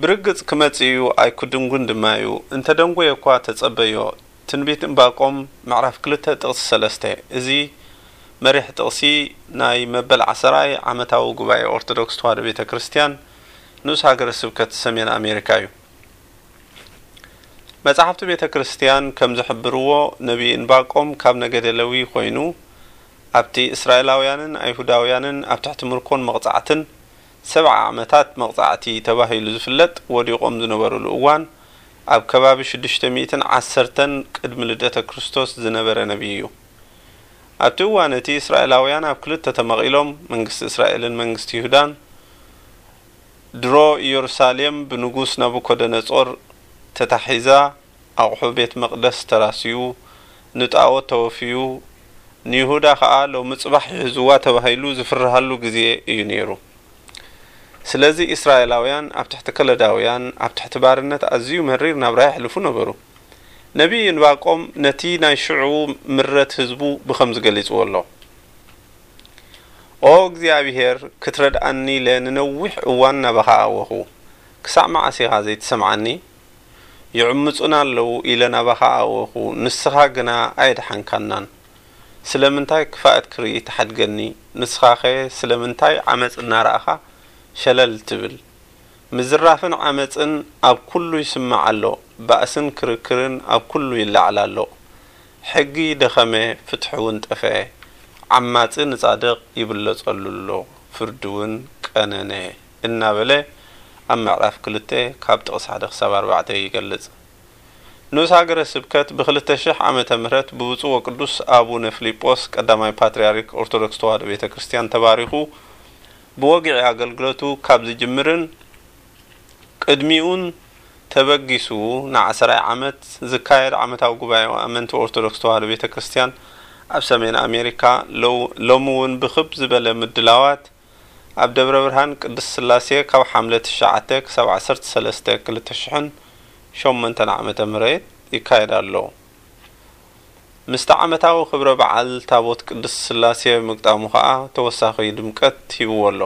ብርግጽ ክመጽእ እዩ፣ ኣይክድንጉን ድማ እዩ። እንተ ደንጎየ እኳ ተጸበዮ። ትንቢት ዕንባቆም ምዕራፍ ክልተ ጥቕሲ ሰለስተ። እዚ መሪሕ ጥቕሲ ናይ መበል ዓሰርኣይ ዓመታዊ ጉባኤ ኦርቶዶክስ ተዋህዶ ቤተ ክርስቲያን ንኡስ ሃገረ ስብከት ሰሜን ኣሜሪካ እዩ። መጻሕፍቲ ቤተ ክርስቲያን ከም ዝሕብርዎ፣ ነቢይ ዕንባቆም ካብ ነገደ ሌዊ ኮይኑ፣ ኣብቲ እስራኤላውያንን ኣይሁዳውያንን ኣብ ትሕቲ ምርኮን መቕጻዕትን ሰብዓ ዓመታት መቕጻዕቲ ተባሂሉ ዝፍለጥ ወዲቖም ዝነበሩሉ እዋን፣ ኣብ ከባቢ ሽዱሽተ ሚእትን ዓሰርተን ቅድሚ ልደተ ክርስቶስ ዝነበረ ነቢይ እዩ። ኣብቲ እዋን እቲ፣ እስራኤላውያን ኣብ ክልተ ተመቒሎም፣ መንግስቲ እስራኤልን መንግስቲ ይሁዳን። ድሮ ኢየሩሳሌም ብንጉስ ናቡኮደነጾር ተታሒዛ፣ ኣቑሑ ቤት መቕደስ ተራስዩ፣ ንጣዖት ተወፍዩ፣ ንይሁዳ ኸኣ ሎሚ ጽባሕ ይሕዝዋ ተባሂሉ ዝፍርሃሉ ግዜ እዩ ነይሩ። ስለዚ፣ እስራኤላውያን ኣብ ትሕቲ ከለዳውያን፣ ኣብ ትሕቲ ባርነት ኣዝዩ መሪር ናብራ የሕልፉ ነበሩ። ነቢይ ዕንባቆም ነቲ ናይ ሽዑ ምረት ህዝቡ ብኸምዚ ገሊጽዎ ኣሎ። ኦ እግዚኣብሄር፣ ክትረድኣኒ ኢለ ንነዊሕ እዋን ናባኻ ኣወኹ። ክሳዕ መዓስ ኢኻ ዘይትሰምዓኒ? ይዕምጹና ኣለዉ ኢለ ናባኻ ኣወኹ፣ ንስኻ ግና ኣየድሓንካናን። ስለምንታይ ክፋእት ክርኢ ትሓድገኒ? ንስኻኸ ስለምንታይ ዓመጽ እናረኣኻ ሸለል ትብል? ምዝራፍን ዓመጽን ኣብ ኩሉ ይስማዕ ኣሎ፣ ባእስን ክርክርን ኣብ ኩሉ ይለዓል ኣሎ። ሕጊ ደኸመ፣ ፍትሒ እውን ጠፍአ። ዓማጺ ንጻድቕ ይብለጸሉ ኣሎ፣ ፍርዲ እውን ቀነነ፣ እናበለ ኣብ ምዕራፍ ክልተ ካብ ጥቕሲ ሓደ ክሳብ ኣርባዕተ ይገልጽ። ንኡስ ሃገረ ስብከት ብክልተ ሽሕ ዓመተ ምህረት ብብፁዕ ወቅዱስ ኣቡነ ፊሊጶስ ቀዳማይ ፓትርያርክ ኦርቶዶክስ ተዋህዶ ቤተ ክርስቲያን ተባሪኹ ብወግዒ ኣገልግሎቱ ካብ ዝጅምርን ቅድሚኡን ተበጊሱ ንዓሰርኣይ ዓመት ዝካየድ ዓመታዊ ጉባኤ ኣመንቲ ኦርቶዶክስ ተዋህዶ ቤተ ክርስቲያን ኣብ ሰሜን ኣሜሪካ ሎ-፣ ሎሚ እውን ብኽብ ዝበለ ምድላዋት ኣብ ደብረ ብርሃን ቅድስት ስላሴ ካብ ሓምለ ትሽዓተ ክሳብ ዓሰርተ ሰለስተ ክልተ ሽሕን ሸሞንተን ዓመተ ምህረት ይካየድ ኣሎ። ምስቲ ዓመታዊ ክብረ በዓል ታቦት ቅድስት ስላሴ ምግጣሙ ኸኣ ተወሳኺ ድምቀት ሂብዎ ኣሎ።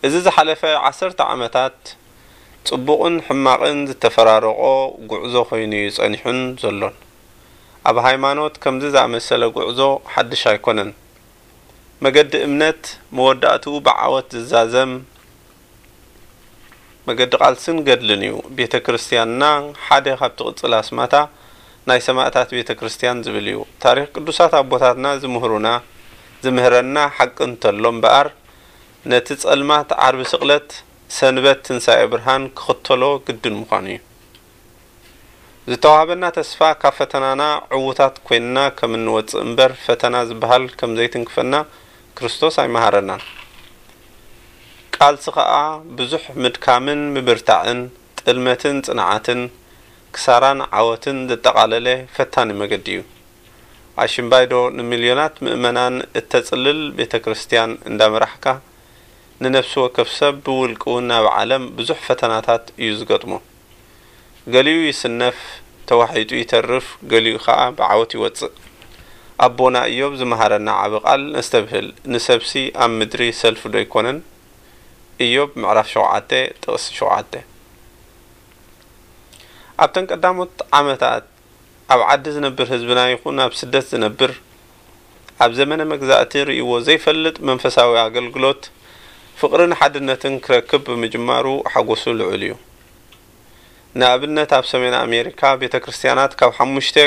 እዚ ዝሓለፈ ዓሰርተ ዓመታት ጽቡቕን ሕማቕን ዝተፈራረቖ ጉዕዞ ኮይኑ እዩ ጸኒሑን ዘሎን። ኣብ ሃይማኖት ከምዚ ዝኣመሰለ ጉዕዞ ሓድሽ ኣይኮነን። መገዲ እምነት መወዳእትኡ ብዓወት ዝዛዘም መገዲ ቃልስን ገድልን እዩ። ቤተ ክርስቲያንና ሓደ ካብ ትቕጽል ኣስማታ ናይ ሰማእታት ቤተ ክርስቲያን ዝብል እዩ። ታሪኽ ቅዱሳት ኣቦታትና ዝምህሩና፣ ዝምህረና ሓቂ እንተሎ እምበኣር፣ ነቲ ጸልማት ዓርቢ ስቕለት፣ ሰንበት ትንሳኤ ብርሃን ክኽተሎ ግድን ምዃኑ እዩ። ዝተዋህበና ተስፋ ካብ ፈተናና ዕዉታት ኮይንና ከም እንወጽእ እምበር፣ ፈተና ዝበሃል ከም ዘይትንክፈና ክርስቶስ ኣይመሃረናን። ቃልሲ ኸኣ ብዙሕ ምድካምን ምብርታዕን፣ ጥልመትን ጽንዓትን፣ ክሳራን ዓወትን ዘጠቓለለ ፈታኒ መገዲ እዩ። ኣሽምባይዶ ንሚልዮናት ምእመናን እተጽልል ቤተ ክርስቲያን እንዳመራሕካ፣ ንነፍሲ ወከፍ ሰብ ብውልቂ እውን ኣብ ዓለም ብዙሕ ፈተናታት እዩ ዝገጥሞ። ገሊኡ ይስነፍ፣ ተዋሒጡ ይተርፍ፣ ገሊኡ ኸኣ ብዓወት ይወጽእ። ኣቦና ኢዮብ ዝመሃረና ዓቢ ቃል ነስተብህል፣ ንሰብሲ ኣብ ምድሪ ሰልፊ ዶ ኣይኮነን? ኢዮብ ምዕራፍ ሸውዓተ ጥቕሲ ሸውዓተ። ኣብተን ቀዳሞት ዓመታት ኣብ ዓዲ ዝነብር ህዝብና ይኹን ኣብ ስደት ዝነብር፣ ኣብ ዘመነ መግዛእቲ ርእይዎ ዘይፈልጥ መንፈሳዊ ኣገልግሎት፣ ፍቕርን ሓድነትን ክረክብ ብምጅማሩ ሓጎሱ ልዑል እዩ። ንኣብነት፣ ኣብ ሰሜን ኣሜሪካ ቤተ ክርስቲያናት ካብ ሓሙሽተ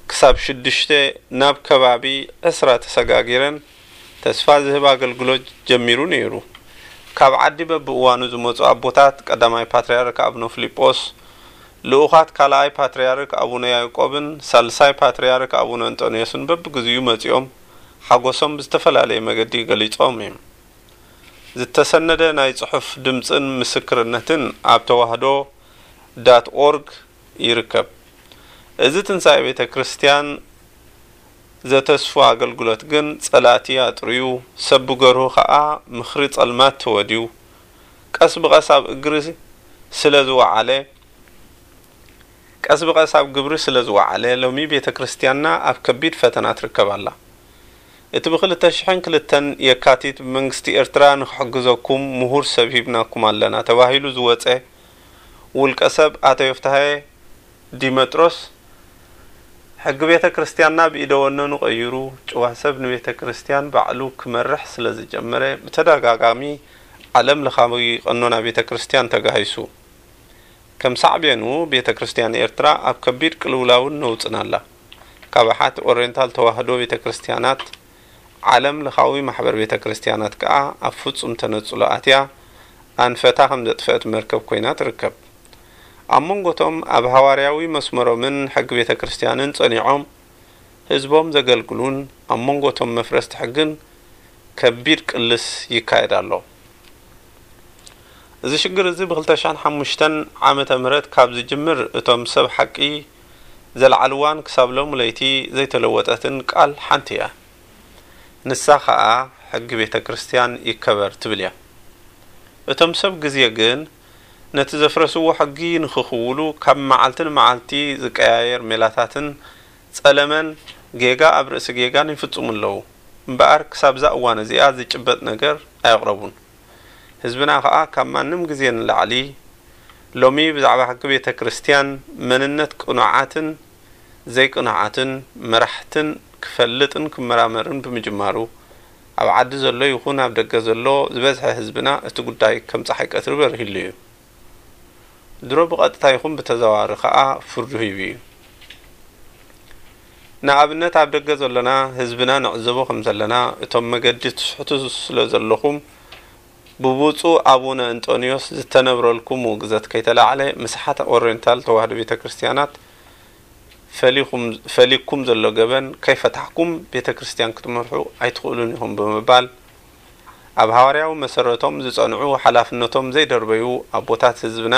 ክሳብ ሽዱሽተ ናብ ከባቢ ዕስራ ተሰጋጊረን ተስፋ ዝህብ ኣገልግሎት ጀሚሩ ነይሩ። ካብ ዓዲ በብእዋኑ ዝመጹ ኣቦታት፣ ቀዳማይ ፓትርያርክ ኣቡነ ፊልጶስ፣ ልኡኻት ካልኣይ ፓትርያርክ ኣቡነ ያዕቆብን ሳልሳይ ፓትርያርክ ኣቡነ እንጦንዮስን በብግዚኡ መጺኦም ሓጎሶም ብዝተፈላለየ መገዲ ገሊጾም እዮም። ዝተሰነደ ናይ ጽሑፍ ድምጽን ምስክርነትን ኣብ ተዋህዶ ዳት ኦርግ ይርከብ። እዚ ትንሳኤ ቤተ ክርስቲያን ዘተስፉ ኣገልግሎት ግን ጸላእቲ ኣጥርዩ፣ ሰብ ብገርሁ ኸኣ ምኽሪ ጸልማት ተወድዩ፣ ቀስ ብቐስ ኣብ እግሪ ስለ ዝወዓለ፣ ቀስ ብቐስ ኣብ ግብሪ ስለ ዝወዓለ፣ ሎሚ ቤተ ክርስቲያንና ኣብ ከቢድ ፈተና ትርከብ ኣላ። እቲ ብ ክልተ ሽሕን ክልተን የካቲት ብመንግስቲ ኤርትራ ንኽሕግዘኩም ምሁር ሰብ ሂብናኩም ኣለና ተባሂሉ ዝወጸ ውልቀ ሰብ ኣቶ ዮፍታሄ ዲመጥሮስ፣ ሕጊ ቤተ ክርስቲያንና ብኢደ ወነኑ ቀይሩ፣ ጭዋ ሰብ ንቤተ ክርስቲያን ባዕሉ ክመርሕ ስለ ዝጀመረ፣ ብተደጋጋሚ ዓለም ለኻዊ ቀኖና ቤተ ክርስቲያን ተጋሂሱ። ከም ሳዕቤኑ፣ ቤተ ክርስቲያን ኤርትራ ኣብ ከቢድ ቅልውላውን ነውጽን ኣላ። ካብ ኣሓት ኦሪየንታል ተዋህዶ ቤተ ክርስቲያናት፣ ዓለም ለኻዊ ማሕበር ቤተ ክርስቲያናት ከኣ ኣብ ፍጹም ተነጽሎ ኣትያ፣ ኣንፈታ ከም ዘጥፈአት መርከብ ኮይና ትርከብ። ኣብ መንጎቶም ኣብ ሃዋርያዊ መስመሮምን ሕጊ ቤተ ክርስቲያንን ጸኒዖም ህዝቦም ዘገልግሉን ኣብ መንጎቶም መፍረስቲ ሕግን ከቢድ ቅልስ ይካየድ ኣሎ። እዚ ሽግር እዚ ብ ክልተ ሽሕን ሓሙሽተን ዓመተ ምህረት ካብ ዝጅምር እቶም ሰብ ሓቂ ዘልዓልዋን ክሳብ ሎሚ ለይቲ ዘይተለወጠትን ቃል ሓንቲ እያ። ንሳ ኸኣ ሕጊ ቤተ ክርስቲያን ይከበር ትብል እያ። እቶም ሰብ ግዜ ግን ነቲ ዘፍረስዎ ሕጊ ንኽኽውሉ ካብ መዓልቲ ንመዓልቲ ዝቀያየር ሜላታትን ጸለመን ጌጋ ኣብ ርእሲ ጌጋን ይፍጽሙ ኣለዉ። እምበኣር ክሳብዛ እዋን እዚኣ ዝጭበጥ ነገር ኣየቕረቡን። ህዝብና ኸኣ ካብ ማንም ግዜ ንላዕሊ ሎሚ ብዛዕባ ሕጊ ቤተ ክርስቲያን መንነት ቅኑዓትን ዘይቅኑዓትን መራሕትን ክፈልጥን ክመራመርን ብምጅማሩ፣ ኣብ ዓዲ ዘሎ ይኹን ኣብ ደገ ዘሎ ዝበዝሐ ህዝብና እቲ ጉዳይ ከም ጸሓይ ቀትሪ በሪህሉ እዩ። ድሮ ብቐጥታ ይኹን ብተዘዋዋሪ ከኣ ፍርዱ ሂቡ እዩ። ንኣብነት ኣብ ደገ ዘሎና ህዝብና ንዕዘቦ ከም ዘለና፣ እቶም መገዲ ትስሕቱ ስለ ዘለኹም ብብፁዕ ኣቡነ እንጦንዮስ ዝተነብረልኩም ውግዘት ከይተላዕለ ምስሓት ኦሪየንታል ተዋህዶ ቤተ ክርስቲያናት ፈሊኹም ፈሊኩም ዘሎ ገበን ከይፈታሕኩም ቤተ ክርስቲያን ክትመርሑ ኣይትኽእሉን ኢኹም ብምባል ኣብ ሃዋርያዊ መሰረቶም ዝጸንዑ ሓላፍነቶም ዘይደርበዩ ኣቦታት ህዝብና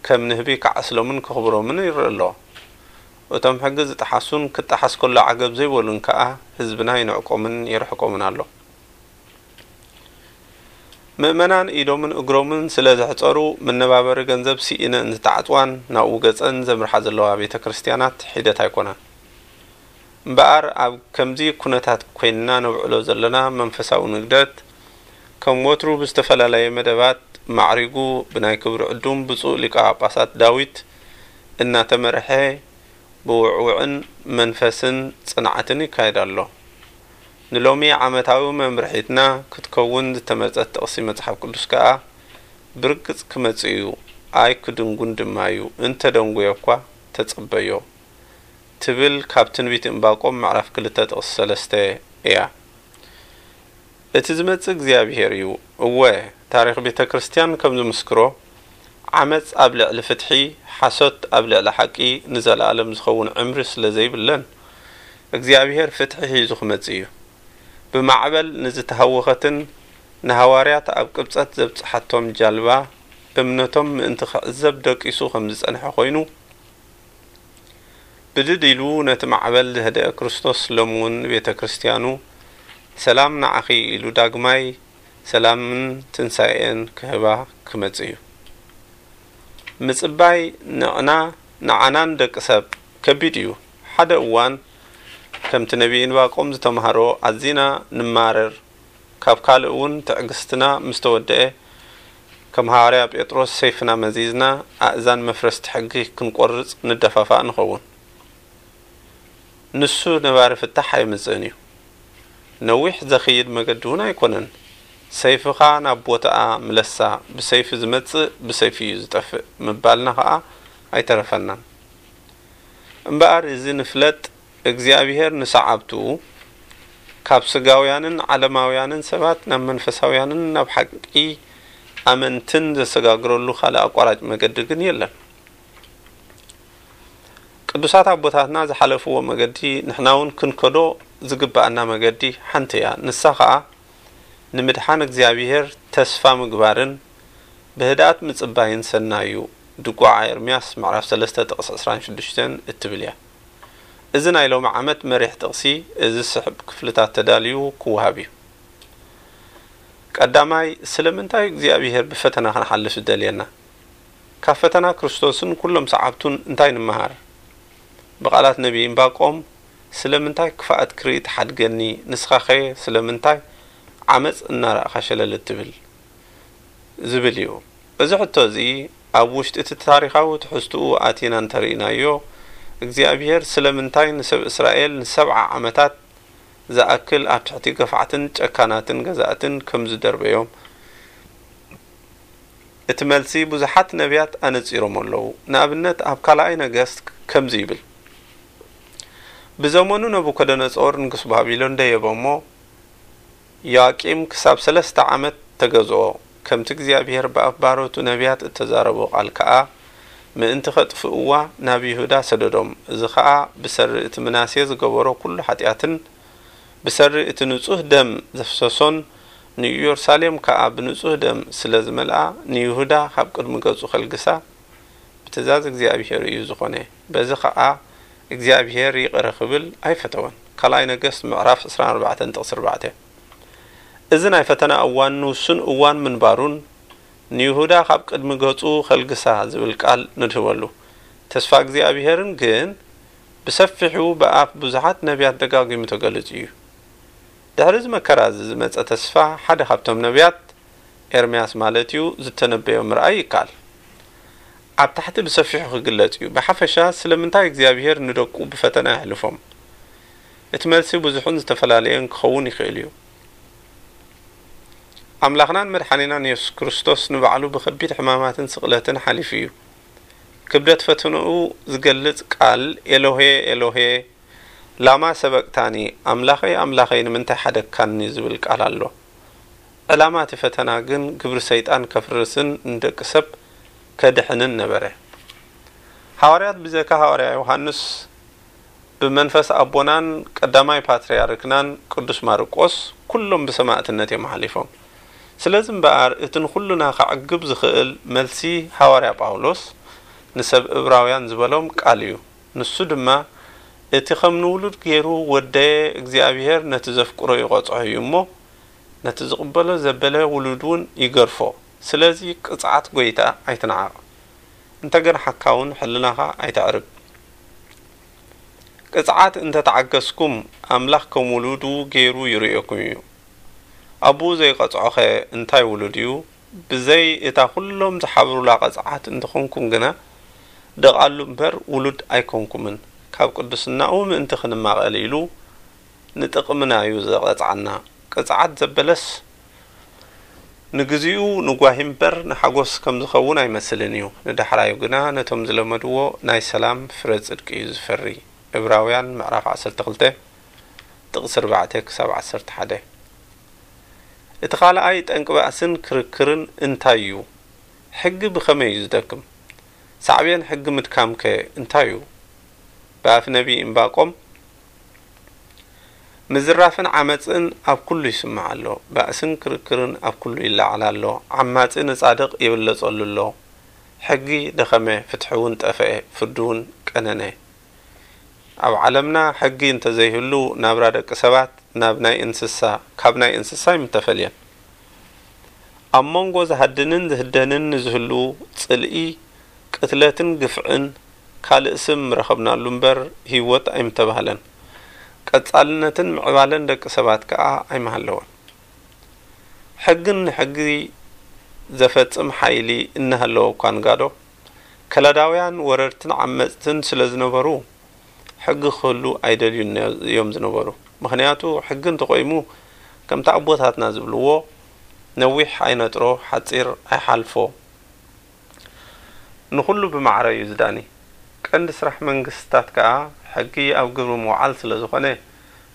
ከም ንህቢ ክዓስሎምን ከኽብሮምን ይረአ ኣሎ። እቶም ሕጊ ዝጠሓሱን ክጠሓስ ከሎ ዓገብ ዘይበሉን ከኣ ህዝብና ይንዕቆምን የርሕቆምን ኣሎ። ምእመናን ኢዶምን እግሮምን ስለ ዘሕጸሩ መነባበሪ ገንዘብ ስኢነን ዝተዓጽዋን ናብኡ ገጸን ዘምርሓ ዘለዋ ቤተ ክርስቲያናት ሒደት ኣይኮናን። እምበኣር ኣብ ከምዚ ኩነታት ኮይንና ነብዕሎ ዘለና መንፈሳዊ ንግደት ከም ወትሩ ብዝተፈላለየ መደባት ማዕሪጉ ብናይ ክብሪ ዕዱም ብፁዕ ሊቀ ጳጳሳት ዳዊት እናተመርሐ ብውዕውዕን መንፈስን ጽንዓትን ይካየድ ኣሎ። ንሎሚ ዓመታዊ መምርሒትና ክትከውን ዝተመርጸት ጥቕሲ መጽሓፍ ቅዱስ ከኣ ብርግጽ ክመጽእ እዩ፣ ኣይክድንጉን ድማ እዩ፣ እንተ ደንጉየ እኳ ተጸበዮ ትብል ካብ ትንቢት ዕንባቆም ምዕራፍ ክልተ ጥቕሲ ሰለስተ እያ። እቲ ዝመጽእ እግዚኣብሄር እዩ። እወ፣ ታሪኽ ቤተ ክርስቲያን ከም ዝምስክሮ፣ ዓመጽ ኣብ ልዕሊ ፍትሒ፣ ሓሶት ኣብ ልዕሊ ሓቂ ንዘለኣለም ዝኸውን ዕምሪ ስለ ዘይብለን፣ እግዚኣብሄር ፍትሒ ሒዙ ክመጽእ እዩ። ብማዕበል ንዝተሃወኸትን ንሃዋርያት ኣብ ቅብጸት ዘብጽሓቶም ጃልባ፣ እምነቶም ምእንቲ ክዕዘብ ደቂሱ ከም ዝጸንሐ ኮይኑ፣ ብድድ ኢሉ ነቲ ማዕበል ዘህደአ ክርስቶስ ሎሚ እውን ንቤተ ክርስቲያኑ ሰላም ንዓኺ ኢሉ ዳግማይ ሰላምን ትንሳኤን ክህባ ክመጽእ እዩ። ምጽባይ ንዕና ንዓናን ደቂ ሰብ ከቢድ እዩ። ሓደ እዋን ከምቲ ነቢይ እንባቆም ዝተማህሮ ኣዚና ንማረር፣ ካብ ካልእ እውን ትዕግስትና ምስ ተወደአ፣ ከም ሃዋርያ ጴጥሮስ ሰይፍና መዚዝና ኣእዛን መፍረስቲ ሕጊ ክንቆርጽ ንደፋፋእ ንኸውን። ንሱ ነባሪ ፍታሕ ኣየምጽእን እዩ። ነዊሕ ዘኽይድ መገዲ እውን ኣይኮነን። ሰይፍኻ ናብ ቦታኣ ምለሳ፣ ብሰይፊ ዝመጽእ ብሰይፊ እዩ ዝጠፍእ ምባልና ኸኣ ኣይተረፈናን። እምበኣር እዚ ንፍለጥ፣ እግዚኣብሄር ንሰዓብቱ ካብ ስጋውያንን ዓለማውያንን ሰባት ናብ መንፈሳውያንን ናብ ሓቂ ኣመንትን ዘሰጋግረሉ ካልእ ኣቋራጭ መገዲ ግን የለን። ቅዱሳት ኣቦታትና ዝሓለፍዎ መገዲ ንሕና እውን ክንከዶ ዝግብኣና መገዲ ሓንቲ እያ። ንሳ ኸኣ ንምድሓን እግዚኣብሄር ተስፋ ምግባርን ብህድኣት ምጽባይን ሰናይ እዩ። ድጓዓ ኤርምያስ ምዕራፍ ሰለስተ ጥቕሲ ዕስራን ሽዱሽተን እትብል እያ። እዚ ናይ ሎሚ ዓመት መሪሕ ጥቕሲ እዚ ዝስዕብ ክፍልታት ተዳልዩ ክወሃብ እዩ። ቀዳማይ፣ ስለምንታይ እግዚኣብሄር ብፈተና ክንሓልፍ ዝደልየና? ካብ ፈተና ክርስቶስን ኩሎም ሰዓብቱን እንታይ ንምሃር? ብቓላት ነቢይ እምባቆም፣ ስለምንታይ ክፍኣት ክርኢ ትሓድገኒ? ንስኻኸ ስለምንታይ ዓመጽ እናረኣኻ ሸለል እትብል? ዝብል እዩ። እዚ ሕቶ እዚ ኣብ ውሽጢ እቲ ታሪኻዊ ትሕዝትኡ ኣቲና እንተርኢናዮ፣ እግዚኣብሄር ስለምንታይ ንሰብ እስራኤል ንሰብዓ ዓመታት ዝኣክል ኣብ ትሕቲ ገፋዕትን ጨካናትን ገዛእትን ከም ዝደርበዮም፣ እቲ መልሲ ብዙሓት ነቢያት ኣነጺሮሞ ኣለዉ። ንኣብነት፣ ኣብ ካልኣይ ነገስት ከምዚ ይብል፣ ብዘመኑ ነቡከደነጾር ንጉስ ባቢሎን ደየበ እሞ፣ ዮኣቂም ክሳብ ሰለስተ ዓመት ተገዝኦ። ከምቲ እግዚኣብሄር ብኣፍ ባሮቱ ነቢያት እተዛረቦ ቃል ከኣ ምእንቲ ኸጥፍእዋ ናብ ይሁዳ ሰደዶም። እዚ ኸኣ ብሰሪ እቲ ምናሴ ዝገበሮ ኵሉ ሓጢኣትን ብሰሪ እቲ ንጹህ ደም ዘፍሰሶን ንኢየሩሳሌም ከኣ ብንጹህ ደም ስለ ዝመልኣ ንይሁዳ ካብ ቅድሚ ገጹ ኸልግሳ ብትእዛዝ እግዚኣብሄር እዩ ዝኾነ። በዚ ኸኣ እግዚኣብሄር ይቕረ ክብል ኣይፈተወን። ካልኣይ ነገስት ምዕራፍ ዕስራን ኣርባዕተን ጥቕሲ ኣርባዕተ። እዚ ናይ ፈተና እዋን ንውሱን እዋን ምንባሩን ንይሁዳ ካብ ቅድሚ ገጹ ኸልግሳ ዝብል ቃል ንድህበሉ። ተስፋ እግዚኣብሄርን ግን ብሰፊሑ ብኣፍ ብዙሓት ነቢያት ደጋጊሙ ተገሊጹ እዩ። ድሕሪ እዚ መከራ እዚ ዝመጸ ተስፋ ሓደ ካብቶም ነቢያት ኤርምያስ ማለት እዩ፣ ዝተነበዮ ምርኣይ ይከኣል። ኣብ ታሕቲ ብሰፊሑ ክግለጽ እዩ። ብሓፈሻ ስለምንታይ እግዚኣብሄር ንደቁ ብፈተና የሕልፎም? እቲ መልሲ ብዙሕን ዝተፈላለየን ክኸውን ይኽእል እዩ። ኣምላኽናን መድሓኒናን የሱስ ክርስቶስ ንባዕሉ ብኸቢድ ሕማማትን ስቕለትን ሓሊፉ እዩ። ክብደት ፈተንኡ ዝገልጽ ቃል ኤሎሄ ኤሎሄ ላማ ሰበቅታኒ፣ ኣምላኸይ ኣምላኸይ ንምንታይ ሓደግካኒ ዝብል ቃል ኣሎ። ዕላማ እቲ ፈተና ግን ግብሪ ሰይጣን ከፍርስን ንደቂ ሰብ ከድሕንን ነበረ። ሃዋርያት ብዘይካ ሃዋርያ ዮሃንስ ብመንፈስ ኣቦናን ቀዳማይ ፓትርያርክናን ቅዱስ ማርቆስ ኩሎም ብሰማእትነት እዮም ሓሊፎም። ስለዚ እምበኣር እቲ ንኹልና ከዕግብ ዝኽእል መልሲ ሃዋርያ ጳውሎስ ንሰብ እብራውያን ዝበሎም ቃል እዩ። ንሱ ድማ እቲ ከም ንውሉድ ገይሩ ወደየ እግዚኣብሔር ነቲ ዘፍቅሮ ይቐጽዖ እዩ እሞ ነቲ ዝቕበሎ ዘበለ ውሉድ እውን ይገርፎ። ስለዚ ቅጽዓት ጐይታ ኣይትንዓቕ። እንተ ገንሓካ እውን ሕልናኻ ኣይተዕርብ። ቅጽዓት እንተ ተዓገስኩም ኣምላኽ ከም ውሉዱ ገይሩ ይርእየኩም እዩ። ኣቦኡ ዘይቐጽዖኸ እንታይ ውሉድ እዩ? ብዘይ እታ ኩሎም ዝሓብሩላ ቅጽዓት እንተኾንኩም ግና ደቓሉ እምበር ውሉድ ኣይኮንኩምን። ካብ ቅድስናኡ ምእንቲ ክንማቐል ኢሉ ንጥቕምና እዩ ዝቐጽዓና። ቅጽዓት ዘበለስ ንግዚኡ ንጓሂ እምበር ንሓጎስ ከም ዝኸውን ኣይመስልን እዩ። ንዳሕራዩ ግና ነቶም ዝለመድዎ ናይ ሰላም ፍረ ጽድቂ እዩ ዝፈሪ። ዕብራውያን ምዕራፍ ዓሰርተ ክልተ ጥቕሲ ኣርባዕተ ክሳብ ዓሰርተ ሓደ። እቲ ካልኣይ ጠንቂ ባእስን ክርክርን እንታይ እዩ? ሕጊ ብኸመይ እዩ ዝደክም? ሳዕቤን ሕጊ ምድካምከ እንታይ እዩ? ብኣፍ ነቢይ እምባቆም፣ ምዝራፍን ዓመጽን ኣብ ኩሉ ይስማዕ ኣሎ፣ ባእስን ክርክርን ኣብ ኩሉ ይለዓል ኣሎ፣ ዓማጺ ንጻድቕ ይብለጸሉ ኣሎ። ሕጊ ደኸመ፣ ፍትሒ እውን ጠፍአ፣ ፍርዲ እውን ቀነነ። ኣብ ዓለምና ሕጊ እንተዘይህሉ ናብራ ደቂ ሰባት ናብ ናይ እንስሳ፣ ካብ ናይ እንስሳ ኣይምተፈልየን። ኣብ መንጎ ዝሃድንን ዝህደንን ንዝህሉ ጽልኢ፣ ቅትለትን ግፍዕን ካልእ ስም ምረኸብናሉ እምበር ህይወት ኣይምተባህለን። ቀጻልነትን ምዕባለን ደቂ ሰባት ከኣ ኣይምሃለወን። ሕግን ንሕጊ ዘፈጽም ሓይሊ እናሃለወ እኳ ንጋዶ፣ ከላዳውያን ወረርትን ዓመጽትን ስለ ዝነበሩ፣ ሕጊ ክህሉ ኣይደልዩን እዮም ዝነበሩ። ምኽንያቱ፣ ሕጊ እንተቆይሙ፣ ከምቲ ኣቦታትና ዝብልዎ፣ ነዊሕ ኣይነጥሮ፣ ሓጺር ኣይሓልፎ፣ ንኹሉ ብማዕረ እዩ ዝዳኒ። ቀንዲ ስራሕ መንግስትታት ከኣ፣ ሕጊ ኣብ ግብሪ ምውዓል ስለ ዝኾነ፣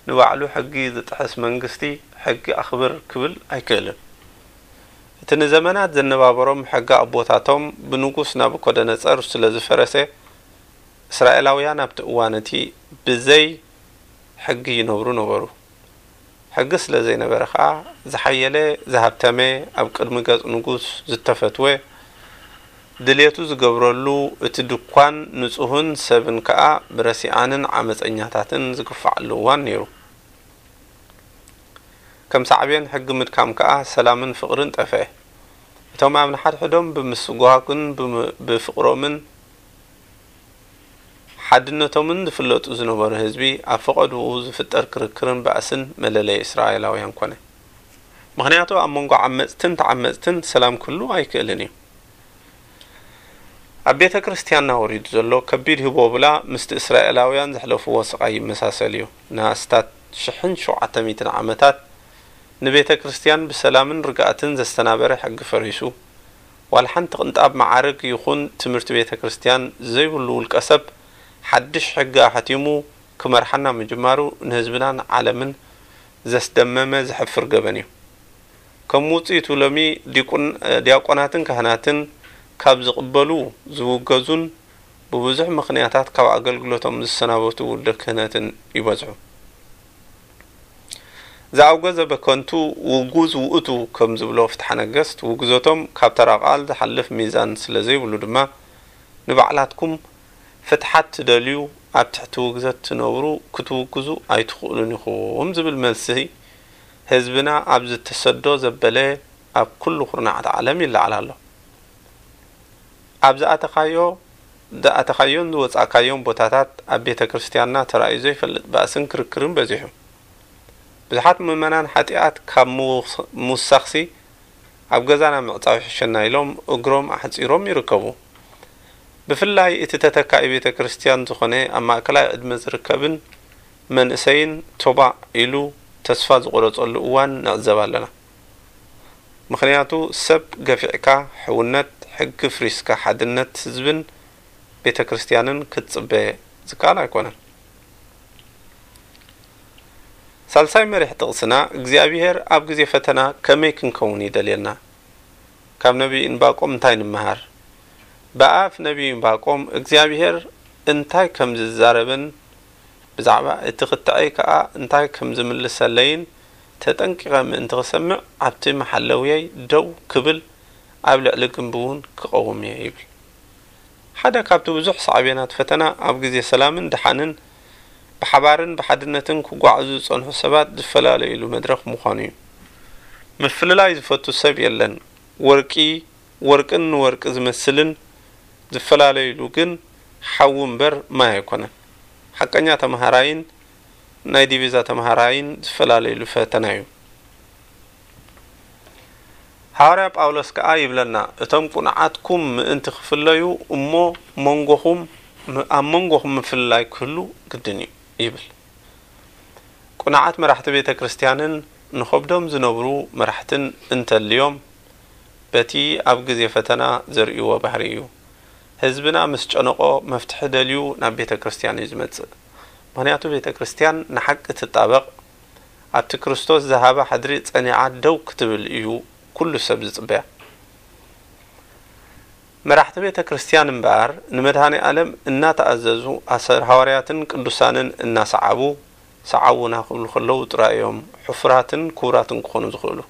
ንባዕሉ ሕጊ ዝጥሕስ መንግስቲ፣ ሕጊ ኣኽብር ክብል ኣይክእልን። እቲ ንዘመናት ዘነባበሮም ሕጊ ኣቦታቶም ብንጉስ ናቡኮደነጸር ስለ ዝፈረሰ፣ እስራኤላውያን ኣብቲ እዋን እቲ ብዘይ ሕጊ ይነብሩ ነበሩ። ሕጊ ስለ ዘይነበረ ኸኣ፣ ዝሓየለ፣ ዝሃብተመ፣ ኣብ ቅድሚ ገጽ ንጉስ ዝተፈትወ፣ ድሌቱ ዝገብረሉ፣ እቲ ድኳን ንጹህን ሰብን ከኣ ብረሲኣንን ዓመጸኛታትን ዝግፋዓሉ እዋን ነይሩ። ከም ሳዕቤን ሕጊ ምድካም ከኣ ሰላምን ፍቕርን ጠፍአ። እቶም ኣብ ንሓድሕዶም ብምስጓግን ብም-፣ ብፍቕሮምን ሓድነቶምን ዝፍለጡ ዝነበሩ ህዝቢ ኣብ ፈቐድኡ ዝፍጠር ክርክርን ባእስን መለለዪ እስራኤላውያን ኮነ። ምኽንያቱ ኣብ መንጎ ዓመጽትን ተዓመጽትን ሰላም ክህሉ ኣይክእልን እዩ። ኣብ ቤተ ክርስቲያንና ወሪዱ ዘሎ ከቢድ ህቦብላ ምስቲ እስራኤላውያን ዘሕለፍዎ ስቓይ ይመሳሰል እዩ። ንኣስታት ሽሕን ሸውዓተ ሚእትን ዓመታት ንቤተ ክርስቲያን ብሰላምን ርግኣትን ዘስተናበረ ሕጊ ፈሪሱ፣ ዋላ ሓንቲ ቅንጣብ መዓርግ ይኹን ትምህርቲ ቤተ ክርስቲያን ዘይብሉ ውልቀ ሰብ ሓድሽ ሕጊ ኣሕቲሙ ክመርሓና ምጅማሩ ንህዝብናን ዓለምን ዘስደመመ ዘሕፍር ገበን እዩ። ከም ውጽኢቱ ሎሚ ዲቁን-፣ ዲያቆናትን ካህናትን ካብ ዝቕበሉ ዝውገዙን ብብዙሕ ምኽንያታት ካብ ኣገልግሎቶም ዝሰናበቱ ውልደ ክህነትን ይበዝሑ። ዘኣውገዘ በከንቱ ውጉዝ ውእቱ ከም ዝብሎ ፍትሐ ነገስት፣ ውግዘቶም ካብ ተራ ቃል ዝሓልፍ ሚዛን ስለ ዘይብሉ ድማ ንባዕላትኩም ፍትሓት ትደልዩ ኣብ ትሕቲ ውግዘት ትነብሩ ክትውግዙ ኣይትኽእሉን ኢኹም ዝብል መልሲ ህዝብና ኣብ ዝተሰዶ ዘበለ ኣብ ኩሉ ኩርናዓት ዓለም ይለዓል ኣሎ። ኣብ ዝኣተኻዮ ዝኣተኻዮን ዝወጻእካዮን ቦታታት ኣብ ቤተ ክርስቲያንና ተራእዩ ዘይፈልጥ ባእስን ክርክርን በዚሑ። ብዙሓት ምእመናን ሓጢኣት ካብ ምውስ-፣ ምውሳኽሲ ኣብ ገዛና ምዕጻው ይሕሸና ኢሎም እግሮም ኣሕጺሮም ይርከቡ። ብፍላይ እቲ ተተካኢ ቤተ ክርስቲያን ዝኾነ ኣብ ማእከላይ ዕድመ ዝርከብን መንእሰይን ቶባእ ኢሉ ተስፋ ዝቖረጸሉ እዋን ንዕዘብ ኣለና። ምኽንያቱ ሰብ ገፊዕካ ሕውነት፣ ሕጊ ፍሪስካ ሓድነት ህዝብን ቤተ ክርስቲያንን ክትጽበ ዝከኣል ኣይኮነን። ሳልሳይ መሪሕ ጥቕስና እግዚኣብሔር ኣብ ግዜ ፈተና ከመይ ክንከውን ይደልየና? ካብ ነቢይ እንባቆም እንታይ ንምሃር? ብኣፍ ነቢይ እንባቆም እግዚኣብሔር እንታይ ከም ዝዛረብን ብዛዕባ እቲ ክትዐይ ከኣ እንታይ ከም ዝምልሰለይን ተጠንቂቐ ምእንቲ ክሰምዕ ኣብቲ መሓለውየይ ደው ክብል ኣብ ልዕሊ ግንቢ እውን ክቐውም እየ ይብል። ሓደ ካብቲ ብዙሕ ሳዕቤናት ፈተና ኣብ ግዜ ሰላምን ደሓንን ብሓባርን ብሓድነትን ክጓዓዙ ዝጸንሑ ሰባት ዝፈላለዩሉ መድረኽ ምዃኑ እዩ። ምፍልላይ ዝፈቱ ሰብ የለን። ወርቂ ወርቅን ንወርቂ ዝመስልን ዝፈላለዩሉ ግን ሓዊ እምበር ማይ ኣይኮነን። ሓቀኛ ተመሃራይን ናይ ዲቪዛ ተመሃራይን ዝፈላለዩሉ ፈተና እዩ። ሃዋርያ ጳውሎስ ከኣ ይብለና፣ "እቶም ቁኑዓትኩም ምእንቲ ክፍለዩ እሞ መንጎኹም፣ ኣብ መንጎኹም ምፍልላይ ክህሉ ግድን እዩ" ይብል። ቁኑዓት መራሕቲ ቤተ ክርስቲያንን ንኸብዶም ዝነብሩ መራሕትን እንተልዮም፣ በቲ ኣብ ግዜ ፈተና ዘርእይዎ ባህሪ እዩ። ህዝብና ምስ ጨነቖ መፍትሒ ደልዩ ናብ ቤተ ክርስቲያን እዩ ዝመጽእ። ምኽንያቱ ቤተ ክርስቲያን ንሓቂ ትጣበቕ፣ ኣብቲ ክርስቶስ ዝሃባ ሕድሪ ጸኒዓ ደው ክትብል እዩ ኩሉ ሰብ ዝጽበያ። መራሕቲ ቤተ ክርስቲያን እምበኣር ንመድኃኔ ዓለም እናተኣዘዙ ኣሰር ሃዋርያትን ቅዱሳንን እናሰዓቡ ሰዓቡና ክብሉ ከለዉ ጥራይ እዮም ሕፉራትን ክቡራትን ክኾኑ ዝኽእሉ።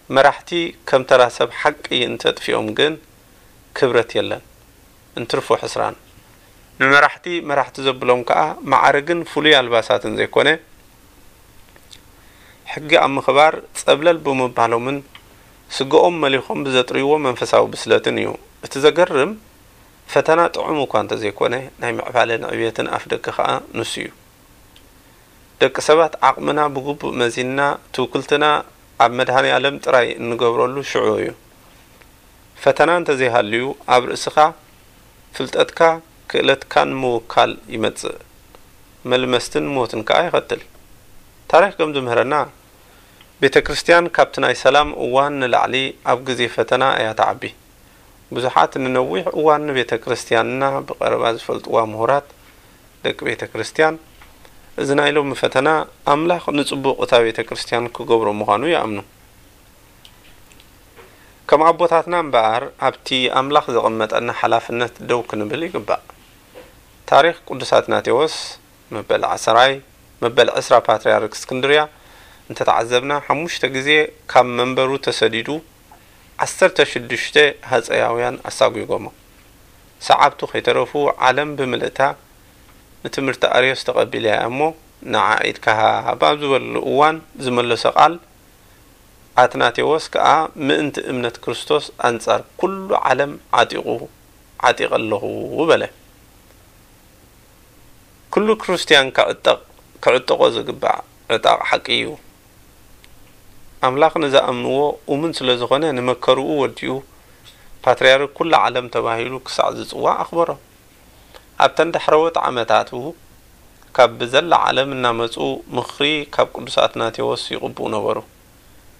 መራሕቲ ከም ተራ ሰብ ሓቂ እንተጥፊኦም ግን ክብረት የለን። እንትርፎ ሕስራን። ንመራሕቲ መራሕቲ ዘብሎም ከኣ ማዕርግን ፍሉይ ኣልባሳትን ዘይኮነ፣ ሕጊ ኣብ ምኽባር ጸብለል ብምባሎምን ስግኦም መሊኾም ብዘጥርይዎ መንፈሳዊ ብስለትን እዩ። እቲ ዘገርም፣ ፈተና ጥዑም እኳ እንተዘይኮነ፣ ናይ ምዕባለን ዕብየትን ኣፍደገ ከኣ ንሱ እዩ። ደቂ ሰባት ዓቕምና ብግቡእ መዚንና ትውክልትና ኣብ መድኃኔ ዓለም ጥራይ እንገብረሉ ሽዑ እዩ። ፈተና እንተዘይሃልዩ ኣብ ርእስኻ፣ ፍልጠትካ፣ ክእለትካን ምውካል ይመጽእ። መልመስትን ሞትን ከኣ የኸትል። ታሪኽ ከም ዝምህረና፣ ቤተ ክርስቲያን ካብቲ ናይ ሰላም እዋን ንላዕሊ ኣብ ግዜ ፈተና እያ ትዓቢ። ብዙሓት ንነዊሕ እዋን ንቤተ ክርስቲያንና ብቐረባ ዝፈልጥዋ ምሁራት ደቂ ቤተ ክርስቲያን፣ እዚ ናይ ሎሚ ፈተና ኣምላኽ ንጽቡቕ እታ ቤተ ክርስቲያን ክገብሮ ምዃኑ ይኣምኑ። ከም ኣቦታትና እምበኣር ኣብቲ ኣምላኽ ዘቐመጠና ሓላፍነት ደው ክንብል ይግባእ። ታሪኽ ቅዱስ ኣትናቴዎስ መበል ዓሰራይ፣ መበል ዕስራ ፓትርያርክ እስክንድርያ እንተተዓዘብና፣ ሓሙሽተ ግዜ ካብ መንበሩ ተሰዲዱ፣ ዓሰርተ ሽዱሽተ ሃጸያውያን ኣሳጒጎሞ። ሰዓብቱ ከይተረፉ ዓለም ብምልእታ ንትምህርቲ ኣርዮስ ተቐቢለያ እሞ ንዓ ኢድካ ሃብ ኣብ ዝበልሉ እዋን ዝመለሶ ቃል ኣትናቴዎስ ከኣ ምእንቲ እምነት ክርስቶስ ኣንጻር ኩሉ ዓለም ዓጢቑ ዓጢቐ ኣለኹ በለ። ኩሉ ክርስትያን ክዕጠቕ፣ ክዕጠቖ ዝግባእ ዕጣቕ ሓቂ እዩ። ኣምላኽ ንዝኣምንዎ እሙን ስለ ዝኾነ፣ ንመከርኡ ወዲኡ ፓትርያርክ ኩላ ዓለም ተባሂሉ ክሳዕ ዝጽዋዕ ኣኽበሮ። ኣብተን ዳሕረዎት ዓመታቱ፣ ካብ ብዘላ ዓለም እናመጹ ምኽሪ ካብ ቅዱስ ኣትናቴዎስ ይቕብኡ ነበሩ።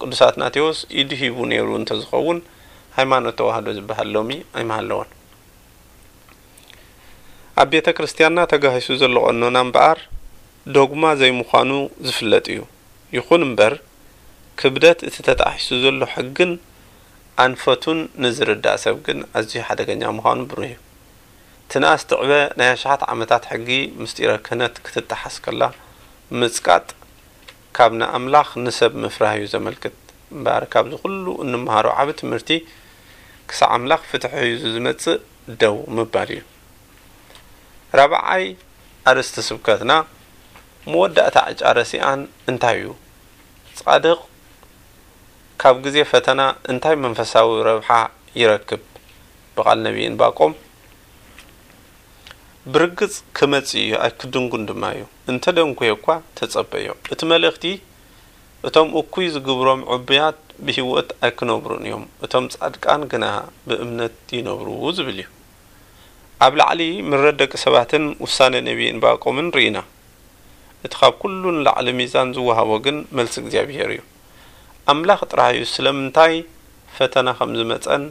ቅዱስ ኣትናቴዎስ ኢዱ ሂቡ ነይሩ እንተዝኸውን፣ ሃይማኖት ተዋህዶ ዝበሃል ሎሚ ኣይምሃለወን። ኣብ ቤተ ክርስቲያንና ተጋሂሱ ዘሎ ቀኖና እምበኣር፣ ዶግማ ዘይምዃኑ ዝፍለጥ እዩ። ይኹን እምበር፣ ክብደት እቲ ተጣሒሱ ዘሎ ሕግን ኣንፈቱን ንዝርዳእ ሰብ ግን ኣዝዩ ሓደገኛ ምዃኑ ብሩህ እዩ። ትንኣስ ትዕበ ናይ ኣሽሓት ዓመታት ሕጊ ምስጢረ ክህነት ክትጠሓስ ከላ ምጽቃጥ፣ ካብ ንኣምላኽ ንሰብ ምፍራህ እዩ ዘመልክት። እምበኣር፣ ካብዚ ኩሉ እንመሃሮ ዓቢ ትምህርቲ፣ ክሳዕ ኣምላኽ ፍትሒ ሒዙ ዝመጽእ ደው ምባል እዩ። ራብዓይ ኣርእስቲ ስብከትና፣ መወዳእታ ዕጫ ረሲኣን እንታይ እዩ? ጻድቕ ካብ ግዜ ፈተና እንታይ መንፈሳዊ ረብሓ ይረክብ? ብቓል ነቢይ እንባቆም፣ ብርግጽ ክመጽእ እዩ፣ ኣይክድንጉን ድማ እዩ። እንተ ደንጉየ እኳ ተጸበዮ። እቲ መልእኽቲ፣ እቶም እኩይ ዝግብሮም ዕቡያት ብህይወት ኣይክነብሩን እዮም፣ እቶም ጻድቃን ግና ብእምነት ይነብሩ ዝብል እዩ። ኣብ ላዕሊ ምረት ደቂ ሰባትን ውሳነ ነቢይ እንባቆምን ርኢና። እቲ ካብ ኩሉ ንላዕሊ ሚዛን ዝወሃቦ ግን መልሲ እግዚኣብሄር እዩ። ኣምላኽ ጥራይ እዩ ስለምንታይ ፈተና ከም ዝመጸን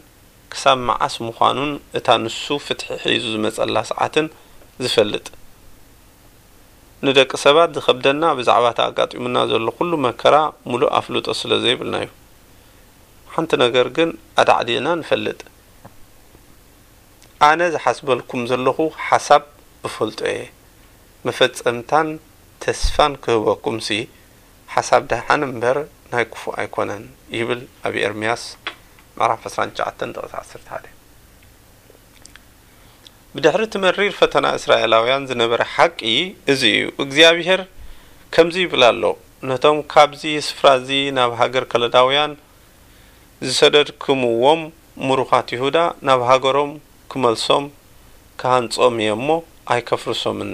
ክሳብ መዓስ ምዃኑን እታ ንሱ ፍትሒ ሒዙ ዝመጸላ ሰዓትን ዝፈልጥ። ንደቂ ሰባት ዝኸብደና ብዛዕባ እቲ ኣጋጢሙና ዘሎ ኩሉ መከራ ምሉእ ኣፍልጦ ስለ ዘይብልና እዩ። ሓንቲ ነገር ግን ኣዳዕዲዕና ንፈልጥ። ኣነ ዝሓስበልኩም ዘለኹ ሓሳብ እፈልጦ እየ። መፈጸምታን ተስፋን ክህበኩምሲ፣ ሓሳብ ደሓን እምበር ናይ ክፉእ ኣይኮነን፣ ይብል ኣብ ኤርምያስ ምዕራፍ ዕስራን ትሽዓተን ጥቕሲ ዓሰርተ ሓደ። ብድሕሪ እቲ መሪር ፈተና እስራኤላውያን ዝነበረ ሓቂ እዚ እዩ። እግዚኣብሄር ከምዚ ይብል ኣሎ፣ ነቶም ካብዚ ስፍራ እዚ ናብ ሃገር ከለዳውያን ዝሰደድክምዎም ምሩኻት ይሁዳ ናብ ሃገሮም ክመልሶም ክሃንጾም እየ እሞ ኣይከፍርሶምን፣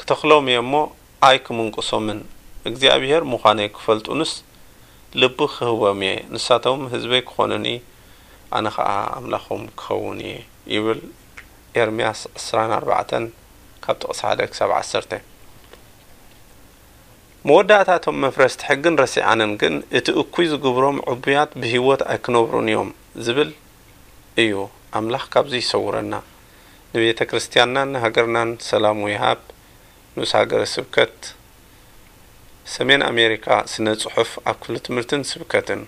ክተኽሎም እየ እሞ ኣይክምንቅሶምን፣ እግዚኣብሄር ምዃነይ ክፈልጡንስ ልቢ ክህቦም እየ፣ ንሳቶም ህዝበይ ክኾኑኒ፣ ኣነ ኸኣ ኣምላኾም ክኸውን እየ ይብል። ኤርምያስ ዕስራን ኣርባዕተን ካብ ጥቕሲ ሓደ ክሳብ ዓሰርተ። መወዳእታ እቶም መፍረስቲ ሕግን ረሲዓንን ግን፣ እቲ እኩይ ዝግብሮም ዕቡያት ብህይወት ኣይክነብሩን እዮም ዝብል እዩ። ኣምላኽ ካብዚ ይሰውረና። ንቤተ ክርስቲያንናን ንሃገርናን ሰላሙ ይሃብ። ንኡስ ሃገረ ስብከት ሰሜን ኣሜሪካ ስነ ጽሑፍ ኣብ ክፍሊ ትምህርትን ስብከትን።